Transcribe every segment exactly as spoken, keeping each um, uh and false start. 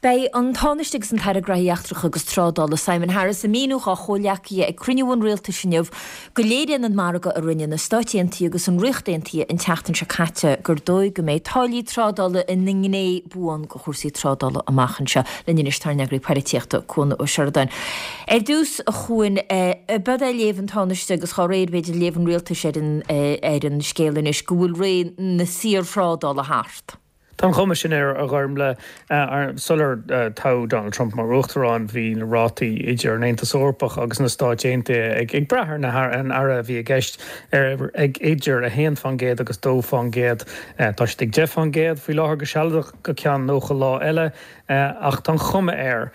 Beidh an Tánaiste agus an tAire Gnóthaí Eachtracha agus Trádála Simon Harris ag míniú dá chomhghleacaithe ag cruinniú an rialtais inniu go léiríonn an margadh a rinne na Stáit Aontaithe agus an Ríocht Aontaithe an tseachtain seo caite gur dóigh go mbeidh táillí trádála ina ngné buan de chúrsaí trádála amach anseo linn anois tá ár n-eagraí polaitíochta Cuan Ó Seireadáin. Ar dtús a Chuain ab é léamh an Tánaiste agus dá réir b'fhéidir léamh an rialtais ar an ar an scéal anois go bhfuil ré na saorthrádála thart. Tá an chuma sin air a Ghormfhlaith sular toghadh Donald Trump mar uachtarán bhí na rátaí idir an Aontas Eorpach agus na Stáit Aontaithe ag ag brath ar na an earra a bhí i gceist ar ag idir a haon faoin gcéad agus dó faoin gcéad. Tá siad ag deich faoin gcéad faoi láthair go sealadach go ceann nócha lá eile ach tá an chuma air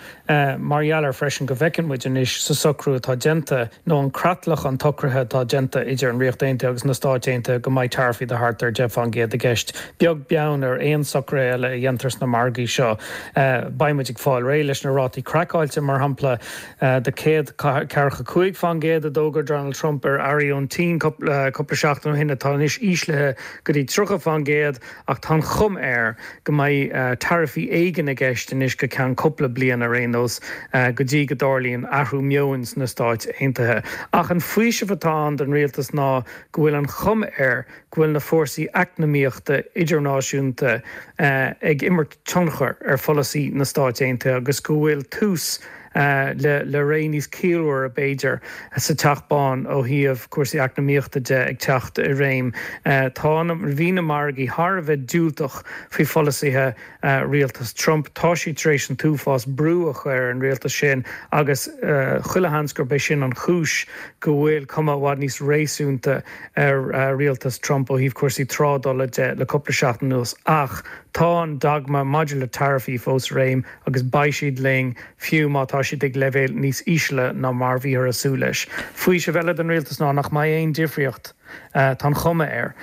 mar gheall ar freisin go bhfeiceann muid anois sa socrú atá déanta nó an creatlach an tsocraithe atá déanta idir an Ríocht Aontaithe agus na Stáit Aontaithe go mbeidh taraifí de thart ar deich faoin gcéad i gceist. Beag beann ar aon socruithe eile a dhéantar sna margaí seo. Beidh muid ag fáil réidh leis na rátaí craiceáilte mar shampla de céad ceathracha cúig faoin gcéad a d'fhógair Donald Trump ar earraí ón tSín cúpla seachtain ó shin atá anois íslithe go dtí tríocha faoin gcéad ach tá an chuma air go mbeidh taraifí éigin i gceist anois go ceann cúpla bliain ar aon nós go dtí go dtarlaíonn athrú meoin sna Stáit Aontaithe. Ach an faoiseamh atá ann don rialtas ná go bhfuil an chuma air go bhfuil na fórsaí eacnamaíochta idirnáisiúnta ag imirt tionchar ar pholasaí na Stáit Aontaithe agus go bhfuil tús le le ré níos ciallmhaire b'fhéidir sa Teach Bán ó thaobh cúrsaí eacnamaíochta de ag teacht i réim. Tá bhí na margaí thar a bheith diúltach faoi pholasaithe rialtas Trump. Tá siad tar éis an t-uafás brú a chur ar an rialtas sin agus chuile sheans gurb é sin an chúis go bhfuil cuma i bhfad níos réasúnta ar rialtas Trump ó thaobh cúrsaí trádála de le cúpla seachtain anuas ach tá an dogma maidir le taraifí fós i réim agus beidh siad linn fiú má tá siad ag leibhéal níos ísle ná mar bhíothar ag súil leis. Faoiseamh eile don rialtas ná nach mbeidh aon difríocht tá an chuma air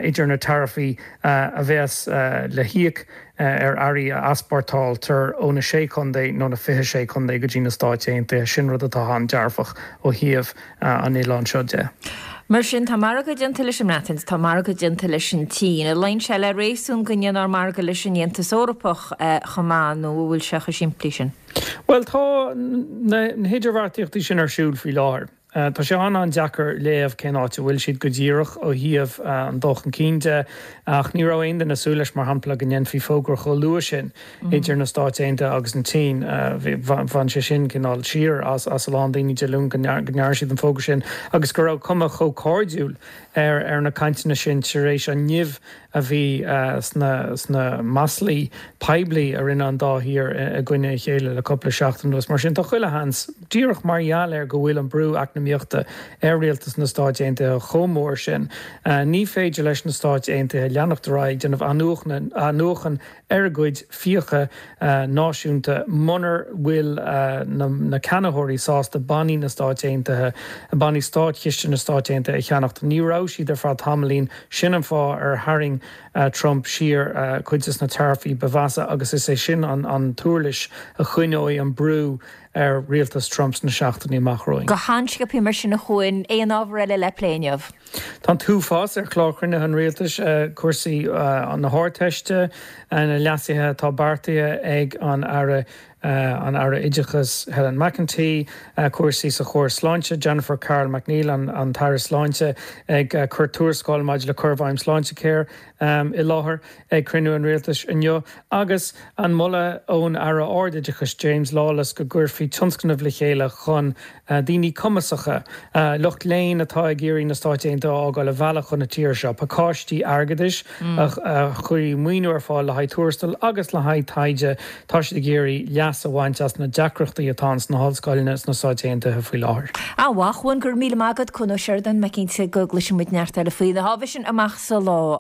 idir na taraifí a bheas le híoc ar earraí a easpórtáiltear ó na sé chontae nó na fiche sé chontae go dtí na Stáit Aontaithe sin rud atá an-dearfach ó thaobh an oileáin seo de. Mar sin tá margadh déanta leis an mBreatain, tá margadh déanta leis an tSín. An luíonn sé le réasún go ndéanfar margadh leis an Aontas Eorpach chomh maith nó bhfuil sé chomh simplí sin. Well tá na hidirbheartaíochtaí sin ar siúl faoi láthair. Tá sé an-an-deacair léamh cén áit a bhfuil siad go díreach ó thaobh an dul chun cinn de ach ní raibh aon duine ag súil leis mar shampla go ndéanfaí fógra chomh luath sin idir na Stáit Aontaithe agus an tSín. Bhain sé sin cineál siar as as a lán daoine Dé Luain go ndearna siad an fógra sin agus go raibh cuma chomh cairdiúil ar ar na cainteanna sin tar éis an nimh a bhí sna sna maslaí poiblí a rinne an dá thír i gcoinne a chéile le cúpla seachtain anuas. Mar sin tá chuile sheans díreach mar gheall ar go bhfuil an brú eacnamaíochta ar rialtas na Stáit Aontaithe chomh mór sin. Ní féidir leis na Stáit Aontaithe leanacht ar aghaidh déanamh athnuachan ar a gcuid fiacha náisiúnta munar bhfuil na ceannaitheoirí sásta bannaí na Stáit Aontaithe, bannaí státchiste na Stáit Aontaithe a cheannacht. Ní raibh siad ar feadh tamaillín sin an fáth ar tharraing Trump siar cuid de na taraifí ba mheasa agus is é sin an an t-uirlis a choinneoidh an brú ar rialtas Trump sna seachtainí amach romhainn. Go han-sciobtha mar sin a Chuain aon ábhar eile le plé inniu. Tá an t-uafás ar chlár cruinnithe an rialtais cúrsaí na hArdteiste na leasuithe atá beartaithe ag an Aire an Aire Oideachais Helen McEntee, cúrsaí sa chóras sláinte Jennifer Carroll MacNeill an an tAire Sláinte ag cur tuarascáil maidir le cur i bhfeidhm Sláintecare i láthair ag cruinniú an rialtais inniu agus an moladh ón Aire Ardoideachais James Lawless go gcuirfí tionscnamh le chéile chun daoine cumasacha lucht léinn atá ag iarraidh na Stáit Aontaithe a fhágáil a mhealladh chun na tíre seo, pacáistí airgeadais a chuirfidh maoiniú ar fáil le haghaidh tuarastal agus le haghaidh taighde tá siad ag iarraidh leas a bhaint as na deacrachtaí atá sna hollscoileanna sna Stáit Aontaithe faoi láthair. An-mhaith Cuan go raibh míle maith agat Cuan Ó Seireadáin mé cinnte go gcloisfidh muid neart eile faoi na hábhair sin amach sa lá.